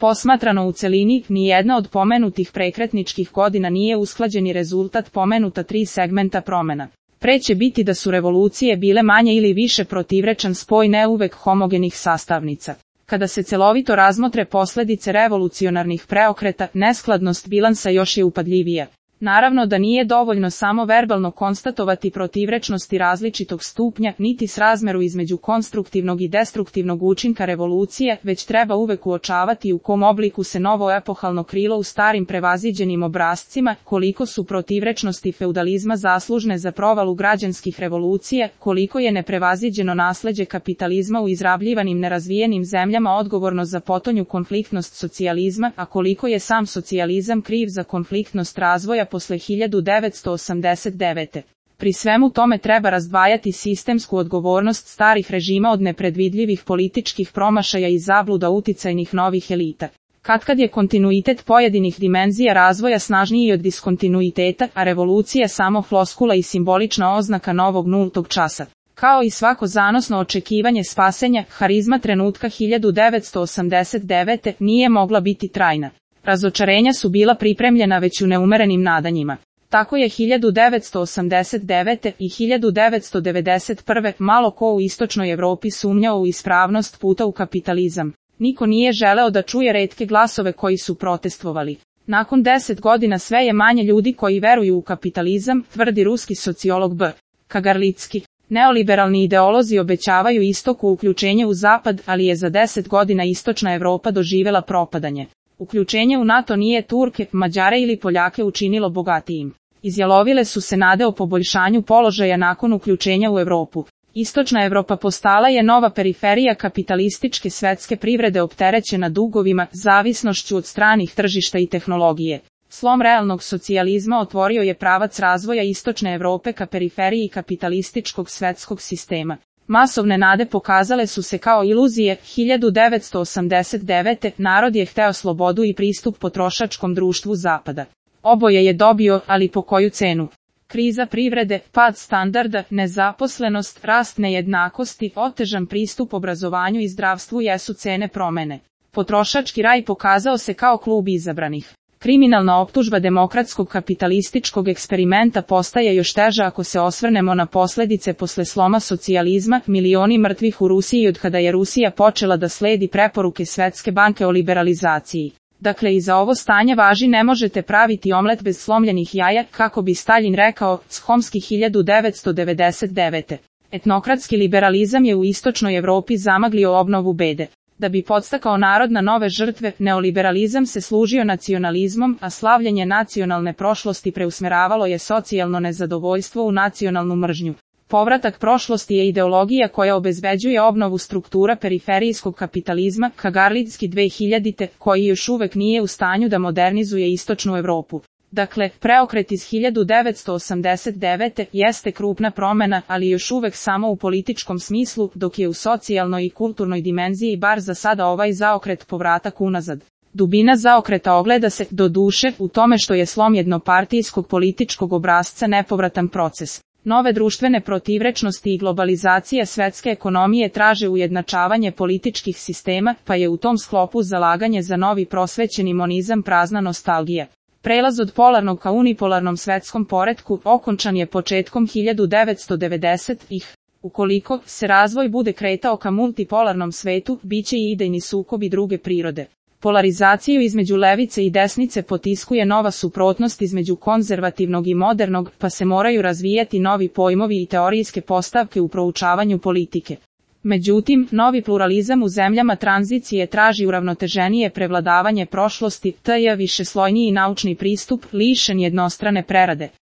Posmatrano u celini, nijedna od pomenutih prekretničkih godina nije usklađeni rezultat pomenuta 3 segmenta promena. Pre će biti da su revolucije bile manje ili više protivrečan spoj ne uvek homogenih sastavnica. Kada se celovito razmotre posledice revolucionarnih preokreta, neskladnost bilansa još je upadljivija. Naravno da nije dovoljno samo verbalno konstatovati protivrečnosti različitog stupnja, niti srazmeru između konstruktivnog i destruktivnog učinka revolucije, već treba uvek uočavati u kom obliku se novo epohalno krilo u starim prevaziđenim obrascima, koliko su protivrečnosti feudalizma zaslužne za provalu građanskih revolucija, koliko je neprevaziđeno nasleđe kapitalizma u izrabljivanim nerazvijenim zemljama odgovorno za potonju konfliktnost socijalizma, a koliko je sam socijalizam kriv za konfliktnost razvoja posle 1989. Pri svemu tome treba razdvajati sistemsku odgovornost starih režima od nepredvidljivih političkih promašaja i zabluda uticajnih novih elita. Katkad je kontinuitet pojedinih dimenzija razvoja snažniji od diskontinuiteta, a revolucija samo floskula i simbolična oznaka novog nultog časa. Kao i svako zanosno očekivanje spasenja, harizma trenutka 1989. nije mogla biti trajna. Razočarenja su bila pripremljena već u neumerenim nadanjima. Tako je 1989. i 1991. malo ko u istočnoj Evropi sumnjao u ispravnost puta u kapitalizam. Niko nije želeo da čuje retke glasove koji su protestvovali. Nakon 10 godina sve je manje ljudi koji veruju u kapitalizam, tvrdi ruski sociolog B. Kagarlicki. Neoliberalni ideolozi obećavaju istoku uključenje u zapad, ali je za 10 godina istočna Evropa doživela propadanje. Uključenje u NATO nije Turke, Mađare ili Poljake učinilo bogatijim. Izjalovile su se nade o poboljšanju položaja nakon uključenja u Evropu. Istočna Evropa postala je nova periferija kapitalističke svetske privrede opterećena dugovima, zavisnošću od stranih tržišta i tehnologije. Slom realnog socijalizma otvorio je pravac razvoja istočne Evrope ka periferiji kapitalističkog svetskog sistema. Masovne nade pokazale su se kao iluzije. 1989. narod je hteo slobodu i pristup potrošačkom društvu Zapada. Oboje je dobio, ali po koju cenu? Kriza privrede, pad standarda, nezaposlenost, rast nejednakosti, otežan pristup obrazovanju i zdravstvu jesu cene promene. Potrošački raj pokazao se kao klub izabranih. Kriminalna optužba demokratskog kapitalističkog eksperimenta postaje još teža ako se osvrnemo na posledice posle sloma socijalizma, milioni mrtvih u Rusiji od kada je Rusija počela da sledi preporuke Svetske banke o liberalizaciji. Dakle, i za ovo stanje važi ne možete praviti omlet bez slomljenih jaja, kako bi Staljin rekao, Chomsky 1999. Etnokratski liberalizam je u istočnoj Evropi zamaglio obnovu bede. Da bi podstakao narod na nove žrtve, neoliberalizam se služio nacionalizmom, a slavljenje nacionalne prošlosti preusmeravalo je socijalno nezadovoljstvo u nacionalnu mržnju. Povratak prošlosti je ideologija koja obezbeđuje obnovu struktura periferijskog kapitalizma, Kagarlicki 2000. koji još uvek nije u stanju da modernizuje istočnu Evropu. Dakle, preokret iz 1989. jeste krupna promena, ali još uvek samo u političkom smislu, dok je u socijalnoj i kulturnoj dimenziji bar za sada ovaj zaokret povratak unazad. Dubina zaokreta ogleda se, doduše, u tome što je slom jednopartijskog političkog obrasca nepovratan proces. Nove društvene protivrečnosti i globalizacija svetske ekonomije traže ujednačavanje političkih sistema, pa je u tom sklopu zalaganje za novi prosvećeni monizam prazna nostalgija. Prelaz od polarnog ka unipolarnom svetskom poretku okončan je početkom 1990-ih. Ukoliko se razvoj bude kretao ka multipolarnom svetu, biće i idejni sukobi druge prirode. Polarizaciju između levice i desnice potiskuje nova suprotnost između konzervativnog i modernog, pa se moraju razvijati novi pojmovi i teorijske postavke u proučavanju politike. Međutim, novi pluralizam u zemljama tranzicije traži uravnoteženije prevladavanje prošlosti, višeslojniji naučni pristup, lišen jednostrane prerade.